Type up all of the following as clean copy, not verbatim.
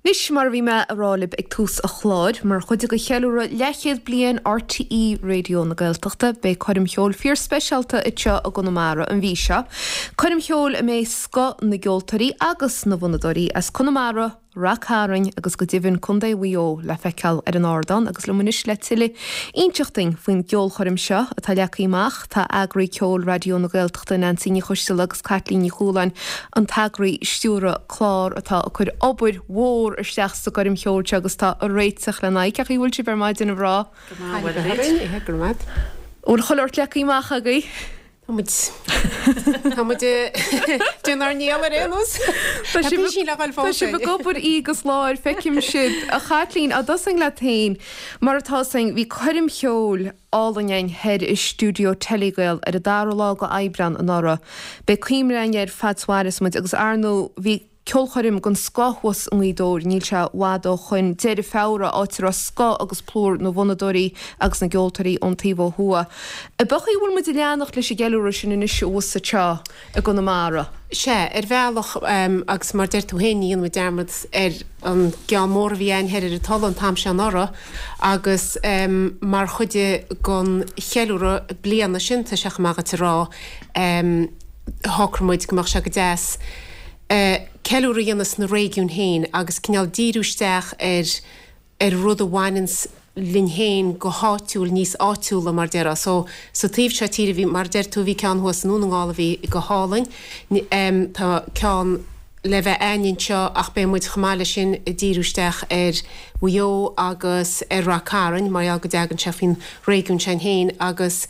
Anois, mar a bhí mé a rá libh ag tús an chláir, mar chuid de cheiliúradh leathchéad bliain RTÉ Raidió na Gaeltachta, beidh coirm cheoil fíorspeisialta anseo i gConamara an mhí seo. Coirm cheoil a mbeidh scoth na gceoltóirí agus na bhfonnadóirí as Conamara, Rath Cairn agus go deimhin Contae Mhaigh Eo le feiceáil ar an ardán agus liom anois le tuilleadh inseacht duinn faoin gceolchoirm seo atá leagtha amach tá eagraí ceoil Raidió na Gaeltachta Neansaí Ní Choisteala agus Caitlín Ní Chualáin an t-eagraí stiúrtha clár atá ag cur obair mhór isteach sa gcoirm cheoil seo agus atá ag réiteach lena aghaidh. Cén chaoi a bhfuil sibh ar maidin a mhná? Go maith, go raibh maith. Bhfuil chuile shórt leagtha amach agaibh? Tá muid Tá muid ag déanamh ár ndícheall ar aon nós. Tá sibh tá sibh ag obair oíche agus lá ar feicim sibh. A Chaitlín, á dtosóinn leat féin, mar atá 'fhios a'inn, bhí coirm cheoil álainn a'inn thoir i stiúideo Telegael ar an dara lá go Aibreán anuraidh. Beidh cuimhne a'inn air fad 's mhairfeas muid agus ar ndóigh bhí ceolchoirm den scoth thuas i nGaoth Dobhair, níl sé i bhfad ó shoin, deireadh Feabhra, áit a raibh scoth agus plúr na bhfonnadóirí agus na gceoltóirí ón taobh ó thuaidh. Ab é an chaoi a bhfuil muid ag leanacht leis an gceiliúradh sin anois abhus anseo i gConamara? Sea, ar bhealach, agus mar deir tú féin, ní dhéanfaidh muid dearmad ar an gceann mór a bhí a'inn thoir ar an Tulaigh an t-am seo anuraidh agus mar chuid den cheiliúradh bliana sin, tá sé chomh maith dhuit a rá, shocraigh muid go mbeadh sé go deas ceiliúradh a dhéanamh sna réigiúin féin agus cineál díriú isteach ar ar rud a bhaineanns linn féin go háitiúil, níos áitiúla mar déarfá. So, sa taobh seo tíre bhí, mar a deir tú, bhí ceann thuas i nDún na nGall a bhí go hálainn. Tá ceann le bheith a'inn anseo ach beidh muid chomh maith leis sin ag díriú isteach ar Mhaigh Eo agus ar Rath Cairn mar gheall go dtagann sé faoin réigiún sin féin agus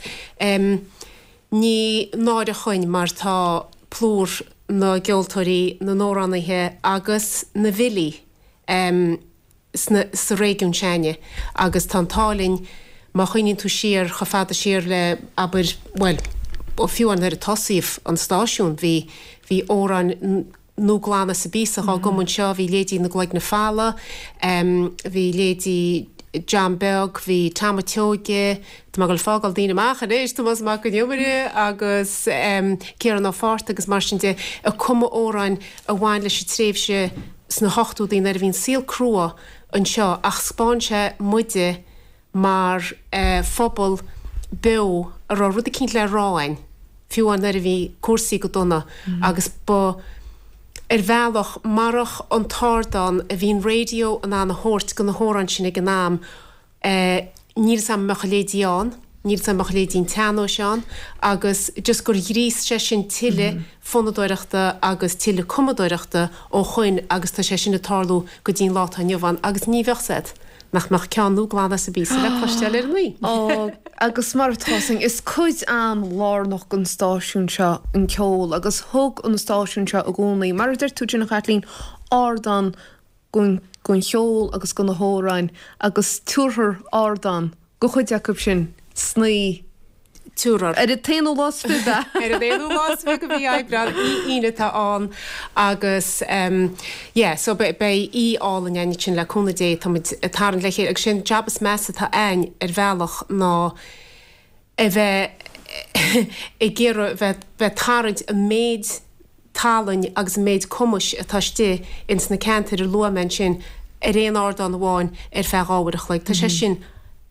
Ní náire dhuinn mar tá plúr na gceoltóirí, na n-amhránaithe agus na bhfilí sna, sa réigiún s'a'inne agus tá an t-ádh linn má chuimhníonn tú siar chomh fada siar le, abair, bhuel, fiú amháin nuair a tosaíodh an stáisiún bhí, bhí amhráin nua glana sa bpíosa dhá gcumadh anseo, bhí leithéidí na gCloigne Falla, bhí leithéidí John Beag, bhí Tom a' tSeoige, tá mé ag dul ag fágáil daoine amach anois, Tomás Mac Con Iomaire agus Ciarán Ó Fátharta agus mar sin de, ag cumadh amhráin a bhain leis an tréimhse sna hochtóidí nuair a bhí an saol crua anseo ach 'spáin sé muide mar phobal beo a raibh rud eicínt le rá a'inn, fiú amháin nuair a bhí cúrsaí go dona agus ba, ar bhealach, marach an t-ardán a bhí an raidió in ann a thabhairt go na hamhráin sin ag an am, níl 'fhios a'm an mbeadh a leithéidí ann, níl 'fhios a'm an mbeadh a leithéidí an tsean-nóis ann agus just gur ghríos sé sin tuilleadh fonnadóireachta agus tuilleadh cumadóireachta ó shoin agus tá sé sin ag tarlú go dtí an lá atá inniu ann agus ní bheadh 'fhios a'd. Nach mbeadh ceann nua glan as an bpíosa le cloisteáil ar an oíche? Ó, agus mar atá 'fhios a'inn, is cuid an-lárnach den stáisiún seo an ceol agus thug an stáisiún seo i gcónaí, mar a deir tú ansin a Chaitlín, ardán don cheol agus do na hamhráin agus tabharfar ardán do chuid acu sin sna Tabharfar. Ar an t-aonú lá is fiche. Ar an aonú lá is fiche de mhí Aibreán, oíche Aoine atá ann agus yeah so beidh oíche álainn a'inn ansin le cúnamh Dé, tá muid ag tarraingt le chéile agus sé an jab is measa atá a'inn ar bhealach ná a bheith ag iarraidh bheith bheith ag tarraingt an méid talainn agus an méid cumais atá istigh ins na ceantair a luaigh mé ansin ar aon ardán amháin ar feadh 2 uair a chloig. Tá sé sin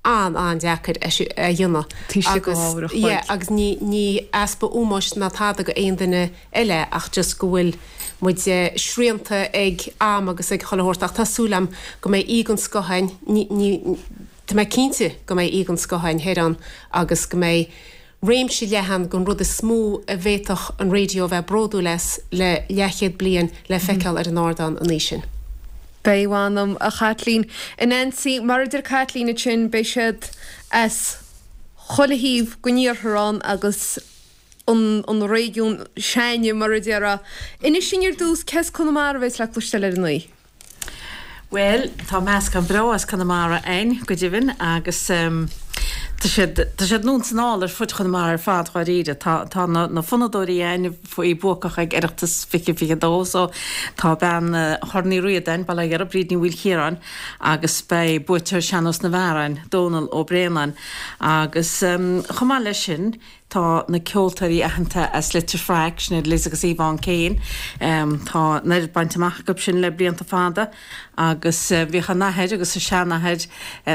an-an-deacair a dhéanamh agus yeah agus ní ní easpa ómóis ná tada go aon duine eile ach just go bhfuil muid srianta ag am agus ag chuile shórt ach tá súil a'm go mbeidh oíche den scoth a'inn ní ní tá mé cinnte go mbeidh oíche den scoth a'inn thoir ann agus go mbeidh réimse leathan den rud is mó a bhféadfadh an raidió a bheith bródúil as le leathchéad bliain le feiceáil ar an ardán an oíche sin. Beidh, mh'anam, a Chaitlín. A Neansaí, mar a deir Caitlín ansin, beidh siad as chuile thaobh den iarthar ann agus an an réigiún s'againne, mar a déarfá. Inis dúinn ar dtús, cé as Conamara a bheas le cloisteáil ar an oíche? Bhuel, tá meascán breá as Conamara a'inn, go deimhin, agus tá siad, tá siad anonn 's anall ar fud Chonamara ar fad, dháiríre. Tá, tá na, na fonnadóirí a'inn a bhí buacach ag Oireachtas 2022, so tá bean Chorn Uí Ríordáin, Baile Átha Ghiorra, Bríd Ní Mhaoilchiaráin, agus beidh buaiteoir Sean-Nós na bhFear a'inn, Dónal Ó Braonáin. Agus chomh maith leis sin. Tá na ceoltóirí aitheanta as Leitir Fraic, sin iad Liz agus Yvonne Kane. Tá an oiread bainte amach acu sin le blianta fada agus bhíodh a n-athair agus a seanathair,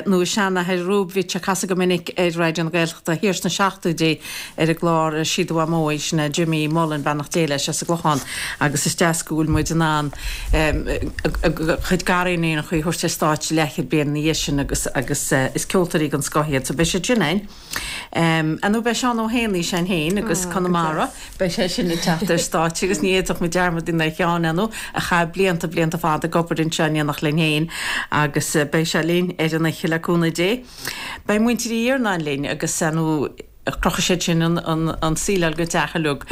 nó a seanathair Rúb, bhíodh sé ag casadh go minic ar Raidió na Gaeltachta thiar sna seachtóidí ar an gclár Sí do Mhamó í, sin é Jimmy Mullen, beannacht Dé leis, as an gClochán agus is deas go bhfuil muid in ann a chuid gariníonacha a thabhairt ar stáitse leathchéad bliain ina dhiaidh sin agus agus is ceoltóirí den scoth iad so beidh siad sin ann. Ar ndóigh beidh Seán Ó hÉanaí ann féin agus Conamara, beidh sé sin ag teacht ar stáitse agus ní fhéadfadh muid dearmad a dhéanamh ar Sheán, ar ndóigh, a chaith blianta, blianta fada ag obair anseo in éineacht linn féin agus beidh sé linn ar an oíche le cúnamh Dé. Beidh muintir Uí Iarnáin linn agus ar ndóigh crochfaidh siad sin an tsíleáil den teach uilig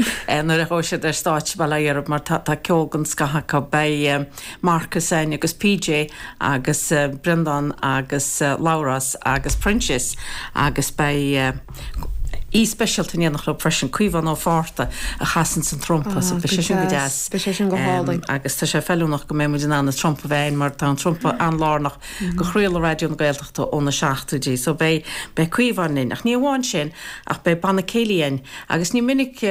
nuair a ghabhfaidh siad ar stáitse bail ó Dhia orthu mar tá ceol den scoth acu. Beidh Marcus ann agus PJ agus Breandán agus Labhrás agus Proinsias agus beidh aoi speisialta in éineacht leo freisin, Caomhán Ó Fátharta a chasanns an trumpa so beidh sé sin go deas. Beidh sé sin go hálainn. Agus tá sé feiliúnach go mbeidh muid in ann an trumpa a bheith ann mar tá an trumpa an-lárnach do chraoladh Raidió na Gaeltachta ó na seachtóidí so beidh beidh Caomhán linn. Ach ní amháin sin ach beidh banna céilí ann Agus ní minic,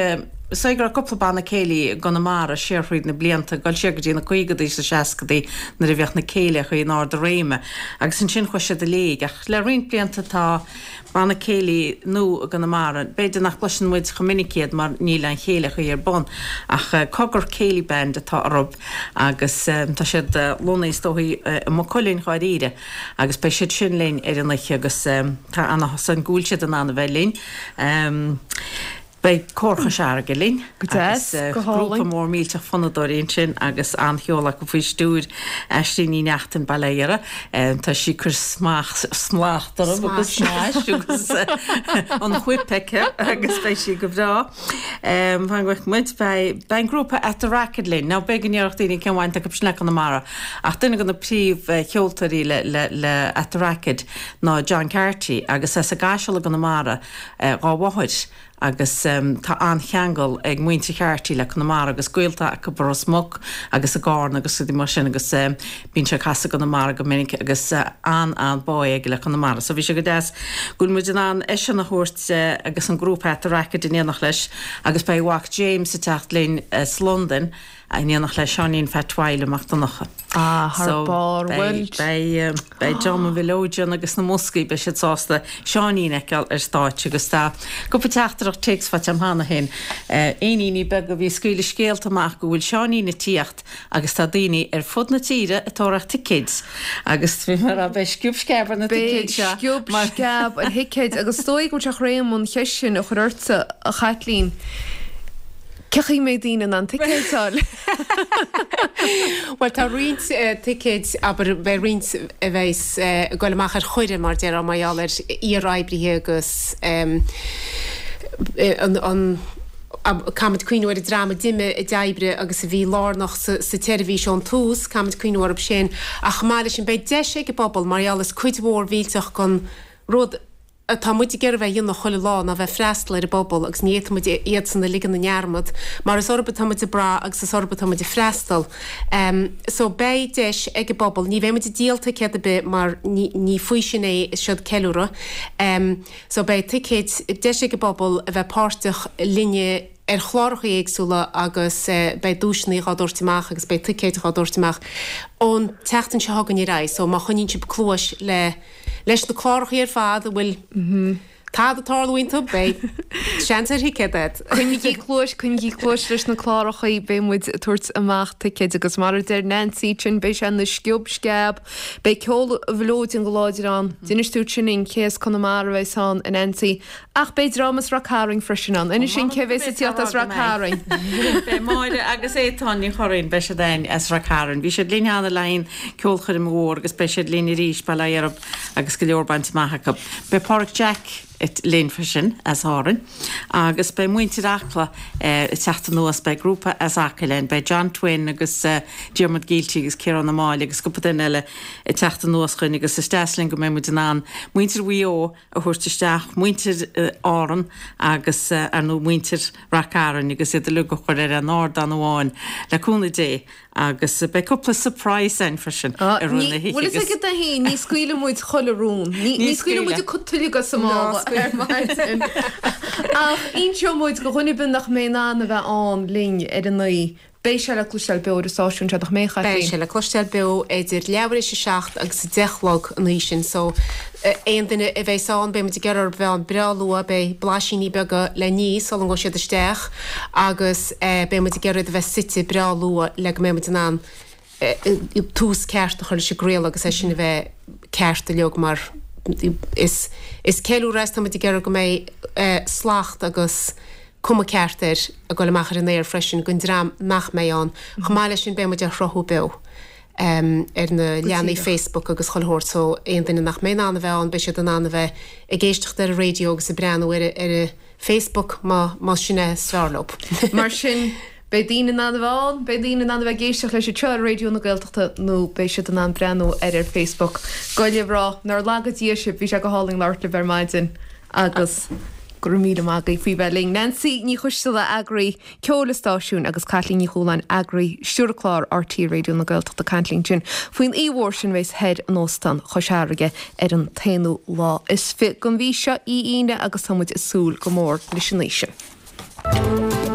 is dóigh go raibh cúpla banna céilí i gConamara siar thríd na blianta, ag dul siar go dtí na caogadaí is na seascadaí nuair a bhíodh na céilíochaí in ard a réime. Agus ansin chuaigh siad i léig. Ach le roinnt blianta tá banna céilí nua i gConamara, b'fhéidir nach gcloiseann muid chomh minic iad mar níl aon chéilíochaí ar bun, ach Cogar Céilí Band atá orthu agus tá siad lonnaithe is dóigh i Maigh Cuilinn dháiríre agus beidh siad sin linn ar an oíche agus tá an-áthas orainn go bhfuil siad in ann a bheith linn. Beidh Cór Chois Fharraige linn agus grúpa mór millteach fonnadóirí ansin agus an-cheol acu faoi stiúir Aisling Ní Neachtain, Bail ó Dhia uirthi. Tá sí ag cur smacht orthu agus smais agus an whip aici agus beidh sí go breá. Fan go bhfeicfidh muid. Beidh an grúpa At The Racket linn. Now b'fhéidir go ndéarfadh daoine cén bhaint acu sin le Conamara ach duine de na príomhcheoltóirí le At The Racket ná John Carty agus as an gCaiseal i gConamara dhá mháthair agus tá an-cheangal ag muintir Carty le Conamara agus gaolta acu i Ros Muc agus i gCarna agus rudaí mar sin agus bíonn sé ag casadh i gConamara go minic agus an-an-bá aige le Conamara so bhí sé go deas go bhfuil muid in ann eisean a thabhairt agus an grúpa At The Racket in éineacht leis agus beidh a mhac James ag teacht linn as Londain In éineacht le Seáinín Phat Mhaidhc Mac Donncha. Ah, thar barr, bhuel. Beidh, beidh dream an Mhileoidin agus na mboscaí, beidh siad sásta Seáinín a fheiceáil ar stáitse agus tá cúpla teachtaireacht téacs faighte agam cheana féin. Éiníní beaga a bhí ag scaoileadh scéalta amach go bhfuil Seáinín ag tíocht agus tá daoine ar fud na tíre ag tóraíocht ticéid agus bhí mé ag rá beidh sciob sceab ar na ticéid seo. Beidh sciob sceab ar thicéid agus is dóigh go bhfuil sé chun am an cheist sin a chur ortsa, a Chaitlín. Cén chaoi a mbeidh daoine in ann ticéid a fháil? Bhuel, tá roinnt ticéid, abair, beidh roinnt a bheas ag goil amach ar chuireadh, mar déarfá, mar gheall ar iar-oibrithe agus an, caithfimid cuimhniú ar an dream a d'imigh, a d'oibrigh agus a bhí lárnach sa tseirbhís ón tús, caithfimid cuimhniú orthu sin. Ach chomh maith leis sin, beidh deis ag an bpobal, mar gheall is cuid mhór mhillteach den rud, atá muid ag iarraidh a bheith a dhéanamh chuile lá ná bheith freastal ar an bpobal agus ní fhéadfaidh muid iadsan a ligean i ndearmad mar is orthu atá muid ag brath agus is orthu atá muid ag freastal. So beidh deis ag an bpobal, ní bheidh muid ag díol ticéad ar bith mar ní ní faoi sin é, is seod ceiliúradh. So beidh ticéid, deis ag an bpobal a bheith páirteach linne ar chláracha éagsúla agus beidh duaiseanna dhá dtabhairt amach agus beidh ticéid dhá dtabhairt amach ón tseachtain seo chugainn ar aghaidh. So má choinníonn sibh cluais le leis na cláracha ar fad a bhfuil tada ag tarlú iontu, beidh seans ar thicéad agat. Coinnigí cluais, coinnigí cluais leis na cláracha, beidh muid ag tabhairt amach ticéid agus mar a deir Nancy ansin, beidh sé ina sciob sceab, beidh ceol an Mhileoidin go láidir ann. D'inis tú dúinn cé as Conamara a bheas ann, a Nancy, Ach beidh dream as Rath Cairn freisin ann. Inis dúinn cé bhéas ag tíocht as Rath Cairn. Beidh Máire agus Étáin Ní Churraoin, beidh siad ann as Rath Cairn. Bhí siad linn cheana le haghaidh an ceolchoirm mhór agus beidh siad linn arís, bail ó Dhia orthu agus go leor bainte amach acu. Beidh Páraic Jack linn freisin as Árainn agus beidh muintir Acla ag teacht anuas, beidh grúpa as Acaill ann, beidh John Twin agus Diarmuid Gielty agus Ciarán Ó Máille agus cúpla duine eile ag teacht anuas chugainn agus is deas linn go mbeidh muid in ann muintir Mhaigh Eo a thabhairt isteach, muintir Árann agus, ar ndóigh, muintir Rath Cairn agus iad uilig a chur ar an ardán amháin, le cúnamh Dé, agus beidh cúpla surprise ann freisin i rith na hoíche Bhfuil fhios agat é féin, ní scaoilfidh muid chuile rún. Ní scaoilfidh muid tuilleadh as an mála. ar maidin. Ach inseoidh muid do dhuine ar bith nach mbeidh in ann a bheith ann linn ar an oíche, beidh sé le cloisteáil beo ar an stáisiún seo, nach mbeidh, a Chaitlín? Beidh sé le cloisteáil beo idir leathuair éis a 7 agus a 10 a chlog an oíche sin so aon duine a bheas ann, beidh muid ag iarraidh orthu bheith ann breá luath, beidh blaisíní beaga le ní sula ngabhfaidh siad isteach agus beidh muid ag iarraidh iad a bheith suite breá luath le go mbeidh muid in ann tús ceart a chur leis an gcraoladh agus é sin a bheith ceart uilig mar is is ceiliúradh é is tá muid ag iarraidh go mbeidh slacht agus cuma ceart air ag dul amach ar an aer freisin don dream nach mbeidh ann. Chomh maith leis sin beidh muid á shruthú beo ar na leathanaigh Facebook agus chuile shórt so aon duine nach mbeidh in ann a bheith ann beidh siad in ann a bheith ag éisteacht ar an raidió agus ag breathnú ar ar an Facebook má más sin é is fearr leo. Mar sin, beidh daoine in ann a bheith ann, beidh daoine in ann a bheith ag éisteacht leis anseo ar Raidió na Gaeltachta nó beidh siad in ann breathnú air ar Facebook. Gabh libh rá, nár laga Dia sibh, bhí sé go hálainn labhairt libh ar maidin agus go raibh míle maith agaibh faoi bheith linn. Neansaí Ní Choisteala, eagraí ceoil an stáisiúin agus Caitlín Ní Chualáin, eagraí stiúradh clár RTÉ Raidió na Gaeltachta ag caint linn ansin faoin oíche mhór sin a bheas thoir in Óstán Chois Fharraige ar an t-aonú lá is fi den mhí seo, oíche Aoine, agus tá muid ag súil go mór leis an oíche sin.